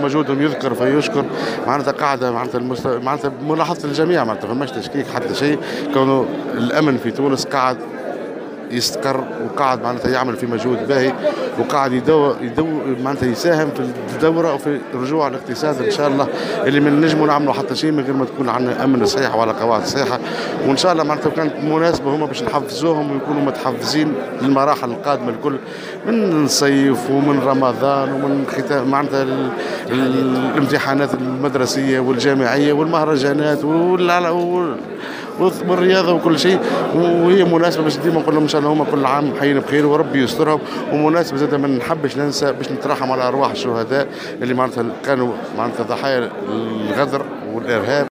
ومجهودهم يذكر فيشكر. معناتها قاعدة معناتها ملاحظة الجميع، معناتها فماش تشكيك حتى شيء، كونه الامن في تونس قاعد يستقر وقاعد معناتها يعمل في مجهود باهي، وقاعد يدو معناتها يساهم في الدورة وفي رجوع الاقتصاد ان شاء الله، اللي من نجموا نعملوا حتى شيء من غير ما تكون عندنا امن صحيح وعلى قواعد صحيحه. وان شاء الله معناتها كانت مناسبة هما باش نحفزوهم ويكونوا متحفزين للمراحل القادمة الكل، من الصيف ومن رمضان ومن ختام معناتها الامتحانات المدرسية والجامعيه والمهرجانات والرياضة وكل شيء. وهي مناسبة باش ديما نقول لهم ان شاء الله هما كل عام حيين بخير وربي يسترهم. ومناسبة زاد ما نحبش ننسى باش نترحم على ارواح الشهداء اللي معناتها كانوا معناتها ضحايا الغدر والارهاب.